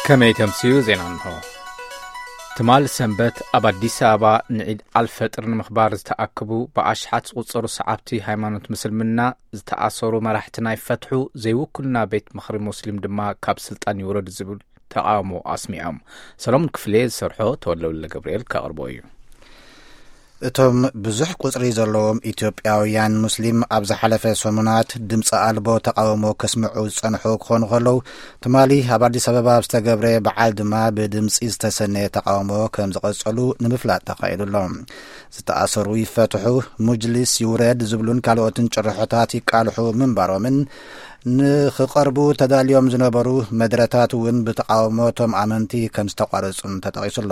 ከመይ ተምስዩ ዜና እንሆ። ትማል ሰንበት ኣብ ኣዲስ ኣበባ ንዒድ ኣልፈጥር ንምኽባር ዝተኣከቡ ብኣሽሓት ዝቑጸሩ ሰዓብቲ ሃይማኖት ምስልምና ዝተኣሰሩ መራሕትና ይፈትሑ፣ ዘይውክልና ቤት ምኽሪ ሙስሊም ድማ ካብ ስልጣን ይውረድ ዝብል ተቓውሞ ኣስሚዖም። ሰሎሞን ክፍሌ ዝሰርሖ ተወልደ ወልደ ገብርኤል ከቕርቦ እዩ። እቶም ብዙሕ ቁጽሪ ዘለዎም ኢትዮጵያውያን ሙስሊም ኣብ ዝሓለፈ ሰሙናት ድምፂ ኣልቦ ተቓውሞ ከስምዑ ዝጸንሑ ክኾኑ ከለዉ፣ ትማሊ ኣብ ኣዲስ ኣበባ ኣብ ዝተገብረ በዓል ድማ ብድምፂ ዝተሰነየ ተቓውሞ ከም ዝቐጸሉ ንምፍላጥ ተኻኢሉ ኣሎ። ዝተኣሰሩ ይፈትሑ፣ ሙጅሊስ ይውረድ ዝብሉን ካልኦትን ጭርሖታት ይቃልሑ ምንባሮምን ንኽቐርቡ ተዳልዮም ዝነበሩ መድረታት እውን ብተቓውሞ እቶም ኣመንቲ ከም ዝተቋረጹን ተጠቒሱ ኣሎ።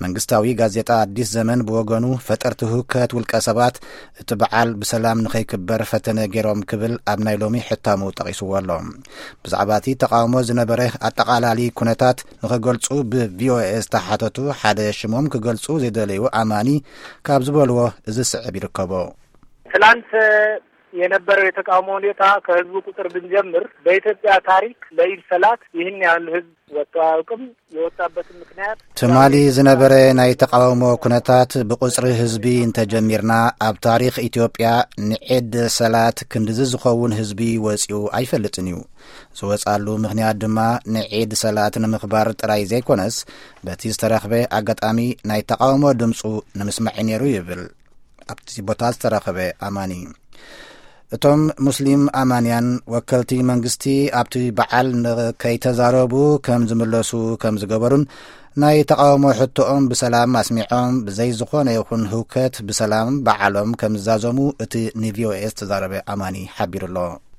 መንግስታዊ ጋዜጣ ኣዲስ ዘመን ብወገኑ፣ ፈጠርቲ ህውከት ውልቀ ሰባት እቲ በዓል ብሰላም ንኸይክበር ፈተነ ገይሮም ክብል ኣብ ናይ ሎሚ ሕታሙ ጠቒስዎ ኣሎ። ብዛዕባ እቲ ተቓውሞ ዝነበረ ኣጠቓላሊ ኩነታት ንኽገልጹ ብቪኦኤ ዝተሓተቱ ሓደ ሽሞም ክገልጹ ዘይደለዩ ኣማኒ ካብ ዝበልዎ እዚ ስዕብ ይርከቦ። ትላንት የነበረው የተቃውሞ ሁኔታ ከህዝቡ ቁጥር ብንጀምር በኢትዮጵያ ታሪክ ለኢድ ሰላት ይህን ያህል ህዝብ ወጥቶ አያውቅም። የወጣበትን ምክንያት ትማሊ ዝነበረ ናይ ተቃውሞ ኩነታት ብቁጽሪ ህዝቢ እንተጀሚርና፣ ኣብ ታሪኽ ኢትዮጵያ ንዒድ ሰላት ክንድዚ ዝኸውን ህዝቢ ወጺኡ ኣይፈልጥን እዩ። ዝወጻሉ ምኽንያት ድማ ንዒድ ሰላት ንምኽባር ጥራይ ዘይኮነስ፣ በቲ ዝተረኽበ ኣጋጣሚ ናይ ተቃውሞ ድምጹ ንምስማዕ ነይሩ ይብል ኣብቲ ቦታ ዝተረኸበ ኣማኒ። እቶም ሙስሊም ኣማንያን ወከልቲ መንግስቲ ኣብቲ በዓል ንከይተዛረቡ ከም ዝምለሱ ከም ዝገበሩን ናይ ተቃውሞ ሕቶኦም ብሰላም ኣስሚዖም ብዘይ ዝኾነ ይኹን ህውከት ብሰላም በዓሎም ከም ዝዛዘሙ እቲ ንቪኦኤ ዝተዛረበ ኣማኒ ሓቢሩ ኣሎ።